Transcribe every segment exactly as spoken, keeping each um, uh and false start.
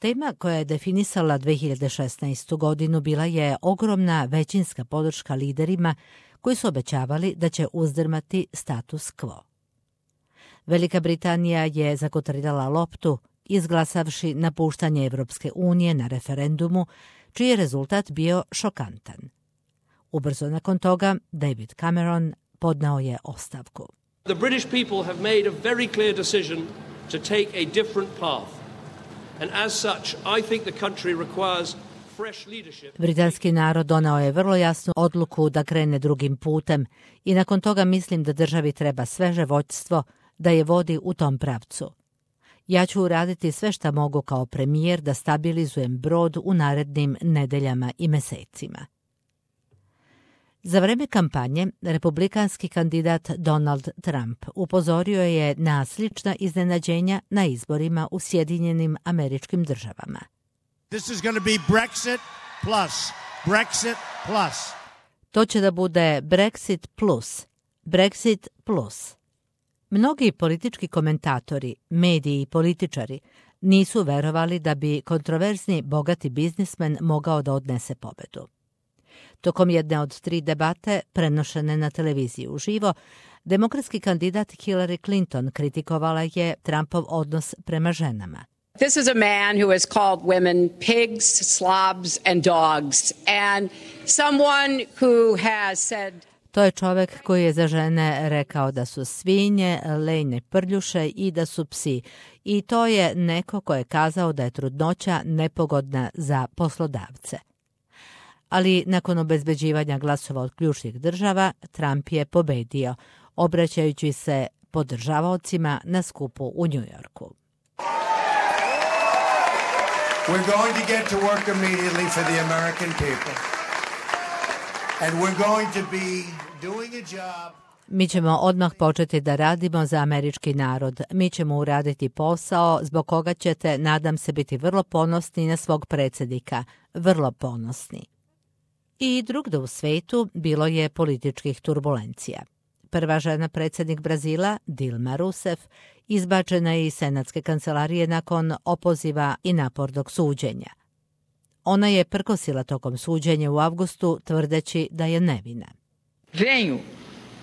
Tema koja je definisala dve hiljade šesnaestu. godinu bila je ogromna većinska podrška liderima koji su obećavali da će uzdrmati status quo. Velika Britanija je zakotrljala loptu, izglasavši napuštanje Evropske unije na referendumu, čiji je rezultat bio šokantan. Ubrzo nakon toga, David Cameron podneo je ostavku. The British people have made a very clear decision to take a different path. And as such, I think the country requires fresh leadership. Britanski narod donao je vrlo jasnu odluku da krene drugim putem i nakon toga mislim da državi treba sveže vođstvo da je vodi u tom pravcu. Ja ću uraditi sve šta mogu kao premijer da stabilizujem brod u narednim nedeljama i mesecima. Za vreme kampanje, republikanski kandidat Donald Trump upozorio je na slična iznenađenja na izborima u Sjedinjenim Američkim Državama. This is going to be Brexit plus. Brexit plus. To će da bude Brexit plus. Brexit plus. Mnogi politički komentatori, mediji i političari nisu verovali da bi kontroverzni bogati biznismen mogao da odnese pobedu. Tokom jedne od tri debate, prenošene na televiziji uživo, demokratski kandidat Hillary Clinton kritikovala je Trumpov odnos prema ženama. This is a man who has called women pigs, slobs and dogs, and someone who has said... To je čovek koji je za žene rekao da su svinje, lejne prljuše i da su psi. I to je neko ko je kazao da je trudnoća nepogodna za poslodavce. Ali nakon obezbeđivanja glasova od ključnih država, Trump je pobedio, obraćajući se podržavaocima na skupu u Njujorku. We're going to get to work immediately for the American people. And we're going to be doing a job. Mi ćemo odmah početi da radimo za američki narod. Mi ćemo uraditi posao zbog koga ćete, nadam se, biti vrlo ponosni na svog predsjednika. Vrlo ponosni. I drugdje u svetu bilo je političkih turbulencija. Prva žena predsjednik Brazila, Dilma Rousseff, izbačena je iz senatske kancelarije nakon opoziva i napornog suđenja. Ona je prkosila tokom suđenja u avgustu, tvrdeći da je nevina. Venho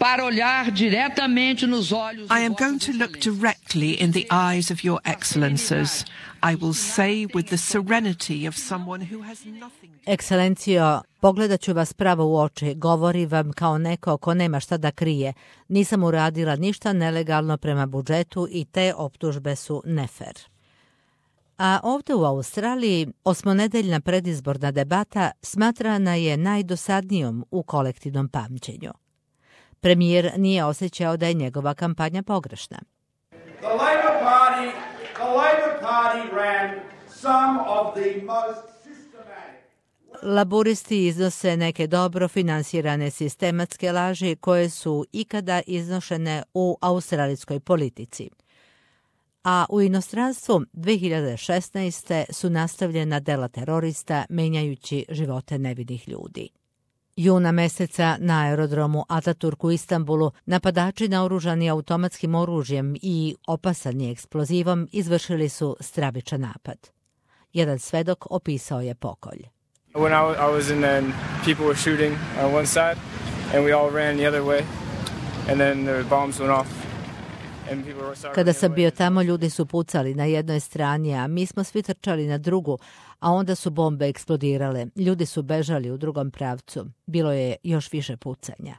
para olhar diretamente nos olhos. I am going to look directly in the eyes of your excellences. I will say with the serenity of someone who has nothing. Ekscelencijo, pogledat ću vas pravo u oči, govori vam kao neko ko nema šta da krije. Nisam uradila ništa nelegalno prema budžetu i te optužbe su nefer. A ovdje u Australiji osmonedeljna predizborna debata smatrana je najdosadnijom u kolektivnom pamćenju. Premijer nije osjećao da je njegova kampanja pogrešna. The Labor Party, the Labor Party ran some of the most systematic. Laburisti iznose neke dobro finansirane sistematske laži koje su ikada iznošene u australijskoj politici. A u inostranstvu dve hiljade šesnaeste. su nastavljena dela terorista menjajući živote nevinih ljudi. Juna meseca na aerodromu Ataturk u Istanbulu napadači naoružani automatskim oružjem i opasani eksplozivom izvršili su stravičan napad. Jedan svedok opisao je pokolj. When I was in there, people were shooting on one side and we all ran the other way and then the bombs went off. Kada sam bio tamo, ljudi su pucali na jednoj strani, a mi smo svi trčali na drugu, a onda su bombe eksplodirale. Ljudi su bežali u drugom pravcu. Bilo je još više pucanja.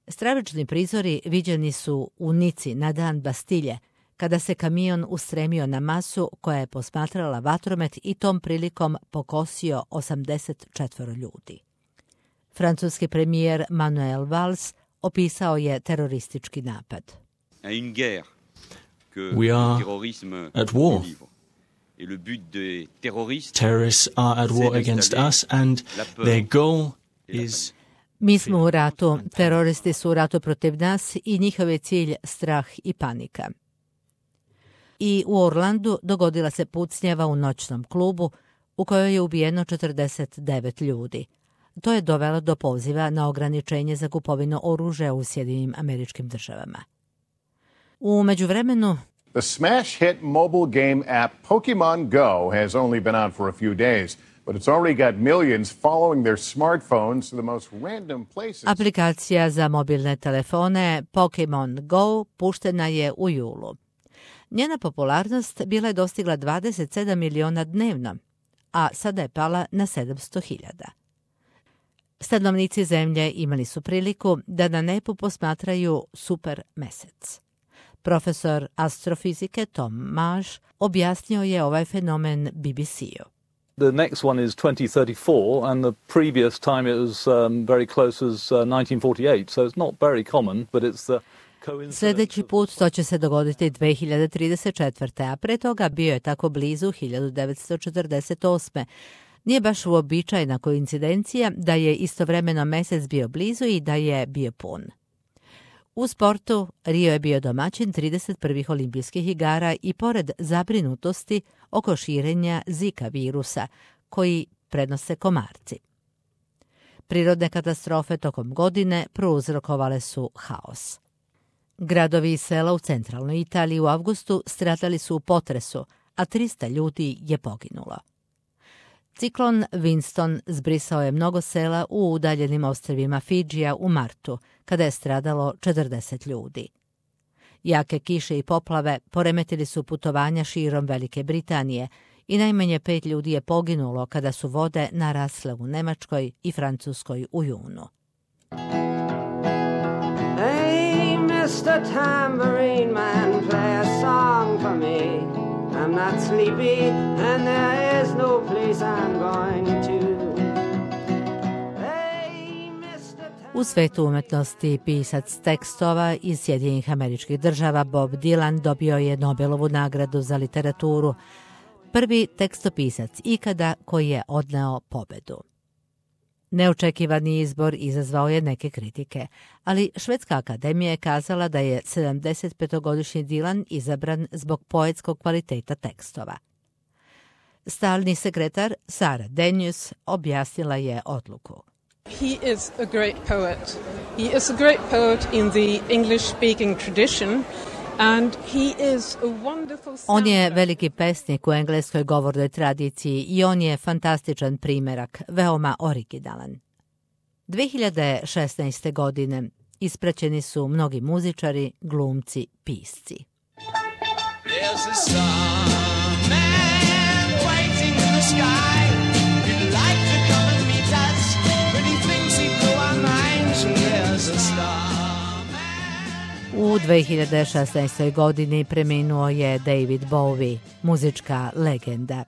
Stravični prizori viđeni su u Nici na dan Bastilje, kada se kamion ustremio na masu koja je posmatrala vatromet i tom prilikom pokosio osamdeset četvoro ljudi. Francuski premijer Manuel Valls opisao je teroristički napad. We are at war. Terrorists are at war against us and their goal is... Mi smo u ratu, teroristi su u ratu protiv nas i njihov je cilj strah i panika. I u Orlandu dogodila se pucnjava u noćnom klubu u kojoj je ubijeno četrdeset devet ljudi. To je dovelo do poziva na ograničenje za kupovinu oružja u Sjedinjenim Američkim Državama. U međuvremenu, The smash hit mobile game app Pokemon Go has only been out for a few days, but it's already got millions following their smartphones to the most random places. Aplikacija za mobilne telefone Pokemon Go puštena je u julu. Njena popularnost bila je dostigla dvadeset sedam miliona dnevno, a sada je pala na sedamsto hiljada. Stanovnici zemlje imali su priliku da na nebu posmatraju super mesec. Profesor astrofizike Tom Marsh objasnio je ovaj fenomen B B C-u. The next one is twenty thirty-four, and the previous time it was um, very close as uh, nineteen forty-eight, so it's not very common, but it's the coincidence. Sljedeći put to će se dogoditi dve hiljade trideset četvrte. a pre toga bio je tako blizu hiljadu devetsto četrdeset osme. Nije baš uobičajena koincidencija da je istovremeno mesec bio blizu i da je bio pun. U sportu Rio je bio domaćin trideset prvih olimpijskih igara i pored zabrinutosti oko širenja Zika virusa, koji prenose komarci. Prirodne katastrofe tokom godine prouzrokovale su haos. Gradovi i sela u centralnoj Italiji u avgustu stradali su u potresu, a trista ljudi je poginulo. Ciklon Winston zbrisao je mnogo sela u udaljenim ostrvima Fidžija u martu, kada je stradalo četrdeset ljudi. Jake kiše i poplave poremetili su putovanja širom Velike Britanije i najmanje pet ljudi je poginulo kada su vode narasle u Nemačkoj i Francuskoj u junu. Hey, mister Tambourine Man, play a song for me. I'm not sleepy and there is no place I'm going to. U svetu umetnosti pisac tekstova iz Sjedinjenih Američkih Država Bob Dylan dobio je Nobelovu nagradu za literaturu, prvi tekstopisac ikada koji je odneo pobedu. Neočekivani izbor izazvao je neke kritike, ali Švedska akademija je kazala da je sedamdesetpetogodišnji Dylan izabran zbog poetskog kvaliteta tekstova. Stalni sekretar Sara Denius objasnila je odluku. He is a great poet. He is a great poet in the English-speaking tradition. And he is a wonderful... On je veliki pesnik u engleskoj govornoj tradiciji i on je fantastičan primerak, veoma originalan. dve hiljade šesnaeste. godine ispraćeni su mnogi muzičari, glumci, pisci. There's a starman waiting in the sky. He'd like to come and meet us, but he thinks he'd blow our minds. And there's a star. U dve hiljade šesnaestoj. godini preminuo je David Bowie, muzička legenda.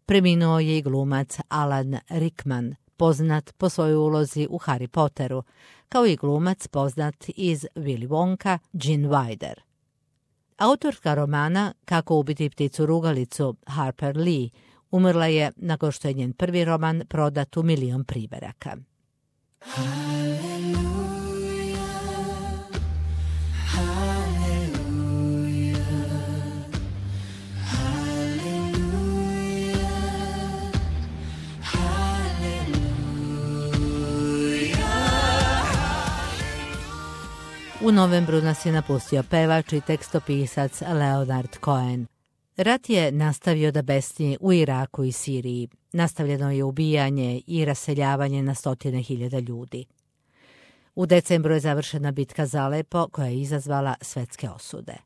Preminuo je i glumac Alan Rickman, poznat po svojoj ulozi u Harry Potteru, kao i glumac poznat iz Willy Wonka, Gene Wilder. Autorka romana Kako ubiti pticu rugalicu, Harper Lee, umrla je nakon što je njen prvi roman prodat u milion primeraka. U novembru nas je napustio pevač i tekstopisac Leonard Cohen. Rat je nastavio da besni u Iraku i Siriji. Nastavljeno je ubijanje i raseljavanje na stotine hiljada ljudi. U decembru je završena bitka za Alepo koja je izazvala svetske osude.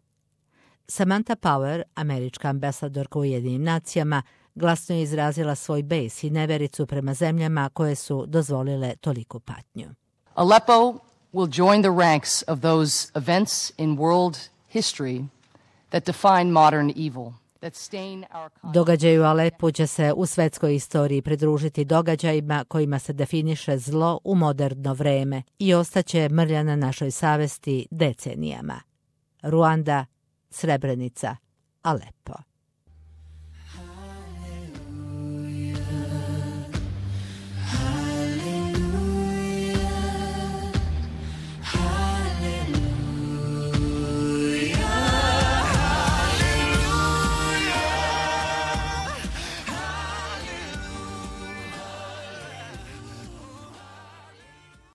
Samantha Power, američka ambasadorka u Ujedinjenim nacijama, glasno je izrazila svoj bes i nevericu prema zemljama koje su dozvolile toliku patnju. Aleppo will join the ranks of those events in world history that define modern evil. Događaj u Alepu će se u svetskoj istoriji pridružiti događajima kojima se definiše zlo u moderno vreme i ostaće mrlja na našoj savesti decenijama. Ruanda, Srebrenica, Alepo.